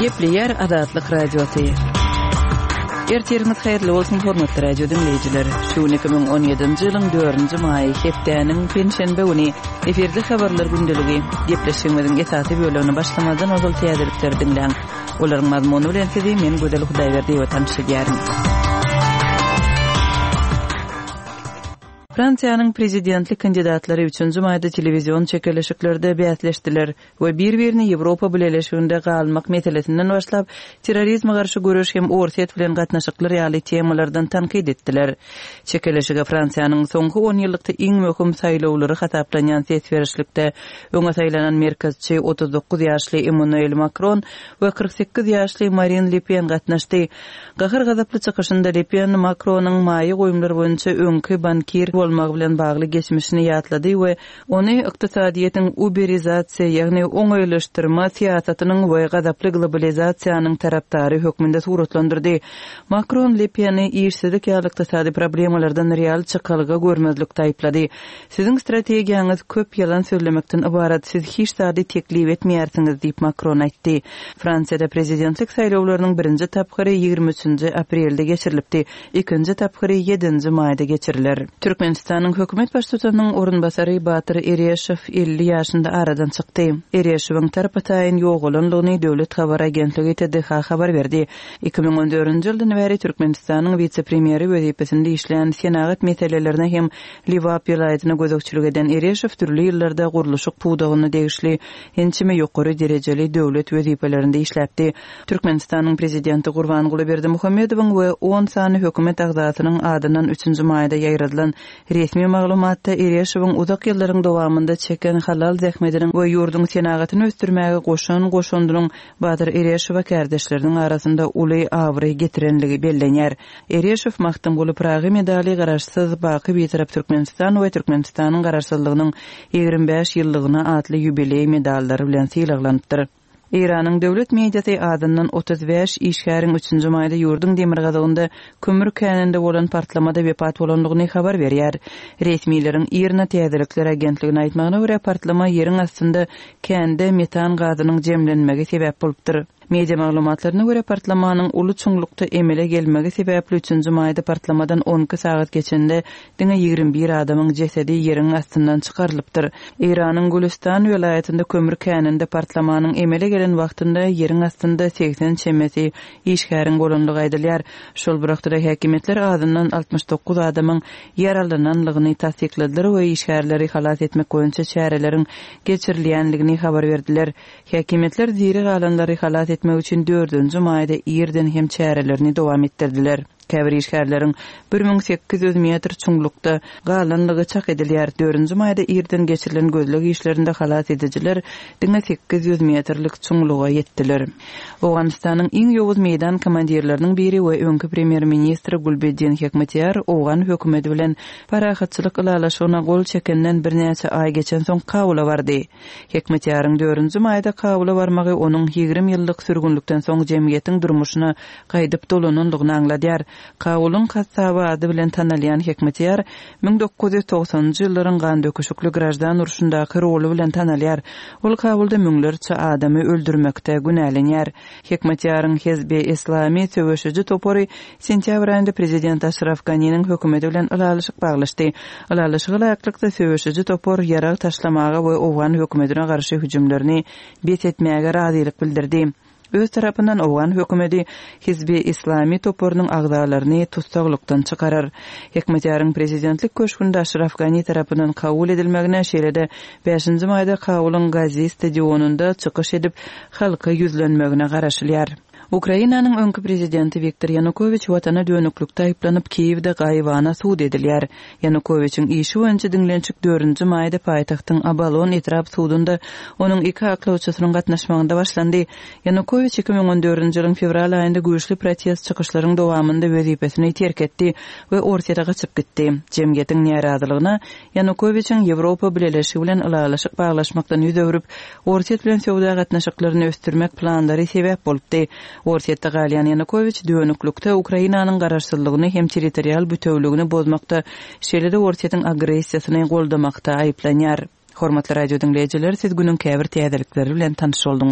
Gepleýär Azatlyk Radiosy. Ertiriňiz haýyrly bolsun, hormatly radio diňleýjiler. Şu gün 2017-nji ýylyň 4-nji maýy, hepdäniň penşenbe güni. Efirde habarlar gündeligi. Gepleşigimiziň esasy bölegini başlamazdan ozal täzelikleri diňläň. Olaryň mazmuny bilen sizi men Gözel Hudaýberdiýewa tanyş edýärin. Fransiýanyň prezidentlik kandidatlary üçünji maýda telewizion çekeleşiklerde bäsleşdiler we bir-birini Ýewropa Bileleşiginde galmak meselesinden başlap, terrorizme garşy göreş hem Orsýet bilen gatnaşyklar ýaly temalardan tankyt etdiler. Çekeleşige Fransiýanyň soňky onýyllykda iň möhüm saýlawlary hasaplanýan ses berişlikde öňe saýlanan merkezçi 39 ýaşly Emmanuel Makron we 48 ýaşly Marin Le Pen gatnaşdy. Gahar-gazaply çykyşynda Le Pen Makronyň maýa goýumlar boýunça öňki bankir bolmagy bilen bagly geçmişini ýatlady we ony ykdysadyýetiň uberizasiýa, ýagny oňaýlaşdyrma syýasatynyň we gazaply globalizasiýanyň tarapdary hökmünde suratlandyrdy. Makron Le Peni işsizlik ýaly ykdysady problemalardan real çykalga görmezlikde aýyplady. Siziň strategiýaňyz köp ýalan sözlemekden ybarat, siz hiç zady teklip etmeýärsiňiz diýip, Makron aýtdy. Fransiýada prezidentlik saýlawlarynyň birinji tapgyry 23 nji aprelde geçirilipdi, ikinji tapgyry ýedinji maýda geçiriler. Türkmenistanyň hökümet baştutanynyň orunbasary Batyr Ereşow 50 ýaşynda aradan çykdy. Ereşowyň tarpa-taýyn ýogalandygyny döwlet habar agentligi TDH habar berdi. 2014-nji ýyldan bäri Türkmenistanyň wise-premýeri wezipesinde işlän, senagat meselelerine hem Lebap welaýatyna gözegçilik eden Ereşow dürli ýyllarda gurluşyk pudagyna degişli ençeme ýokary derejeli döwlet wezipelerinde işläpdi. Türkmenistanyň Prezidenti Gurbanguly Berdimuhamedowyň we on sany hökümet agzasynyň adyndan üçünji maýda ýaýradylan resmi maglumatda Ereşowyň uzak ýyllaryň dowamynda çeken halal zähmetiniň we ýurduň senagatyny ösdürmäge goşan goşandynyň Batyr Ereşowa kärdeşleriniň arasynda uly abraý getirenligi bellenýär. Ereşow Magtymguly Pyragy medaly Garaşsyz, baky Bitarap Türkmenistan we Türkmenistanyň Garaşsyzlygynyň 25 ýyllygyna atly ýubileý medallary bilen sylaglanypdyr. Eýranyň döwlet mediasy azyndan 35 işgäriň üçünji maýda ýurduň demirgazygynda kömür käninde bolan partlamada wepat bolandygyny habar berýär. Resmileriň IRNA täzelikler agentligine aýtmagyna görä, partlama ýeriň astynda kände metan gazynyň jemlenmegi sebäp bolupdyr. Media maglumatlaryna görä, partlamanyň uly çuňlukda emele gelmegi sebäpli üçünji maýda partlamadan 12 sagat geçende diňe 21 adamyň jesedi ýeriň astyndan çykarylypdyr. Eýranyň Gülüstan welaýatynda kömür käninde partlamanyň emele gelen wagtynda ýeriň astynda 80 çemesi işgäriň bolandygy aýdylýar. Şol bir wagtda-da häkimiýetler azyndan 69 adamyň ýaralananlygyny tassykladylar we işgärleri halas etmek boýunça çäreleriň geçirilýändigini habar berdiler. Häkimiýetler diri galanlary halas etmek üçin dördünji maýda irden hem çärelerini dowam etdirdiler. Käbir işgärleriň 1800 metr çuňlukda galanlygy çak edilýär. Dördünji maýda irden geçirilen gözleg işlerinde halas edijiler diňe 800 metrlik çuňluga ýetdiler. Owganystanyň iň ýowuz meýdan komandirleriniň biri we öňki premýer-ministri Gulbeddin Hekmatyar owgan hökümeti bilen parahatçylyk ylalaşygyna gol çekenden birnäçe aý geçensoň Kabula bardy. Hekmetýaryň dördünji maýda Kabula barmagy onuň 20 ýyllyk sürgünlikden soň jemgyýetiň durmuşyna gaýdyp dolanandygyny aňladýar. Kabulyň kassaby ady bilen tanalýan Hekmetýar 1990-njy ýyllaryň gandöküşikli graždan urşundaky roly bilen tanalýar. Ol Kabulda müňlerçe adamy öldürmekde günälenýär. Hekmetýaryň Hezbi Eslami söweşiji topary sentýabr aýynda prezident Aşraf Ganiniň hökümeti bilen ylalaşyk baglaşdy. Ylalaşyga laýyklykda, söweşiji topar ýarag taşlamaga we owgan hökümetine garşy hüjümlerini bes etmäge razylyk bildirdi. Öz tarapyndan owgan hökümeti Hizbi Islami toparynyň agzalaryny tussaglykdan çykarar. Hekmetýaryň prezidentlik köşgünde Aşraf Gani tarapyndan kabul edilmegine, şeýle-de bäşinji maýda Kabulyň Gazi stadionynda çykyş edip, halka ýüzlenmegine garaşylýar. Ukrainanyň öňki prezidenti Wiktor Ýanukowiç watana dönüklikde aýyplanyp, Kiýewde gaýybana sud edilýär. Ýanukowiçiň işi boýunça diňlenişik dördünji maýda paýtagtyň Obolon etrap sudunda onuň iki aklawçysynyň gatnaşmagynda başlandy. Ýanukowiç 2014-nji ýylyň fewral aýynda güýçli protest çykyşlaryň dowamynda wezipesini terk etdi we Orsýete gaçyp gitdi. Jemgyýetiň närazylygyna Ýanukowiçiň Ýewropa Bileleşigi bilen ylalaşyk baglaşmakdan ýüz öwrüp, Orsýet bilen söwda gatnaşyklaryny ösdürmek planlary sebäp bolupdy. Orsýetde galýan Ýanukowiç dönüklikde Ukrainanyň garaşsyzlygyny hem territorial bütewligini bozmakda, şeýle-de Orsýetiň agressiýasyny goldamakda aýyplanýar. Hormatly radio diňleýjiler, siz günüň käbir täzelikleri bilen tanyş bolduňyz.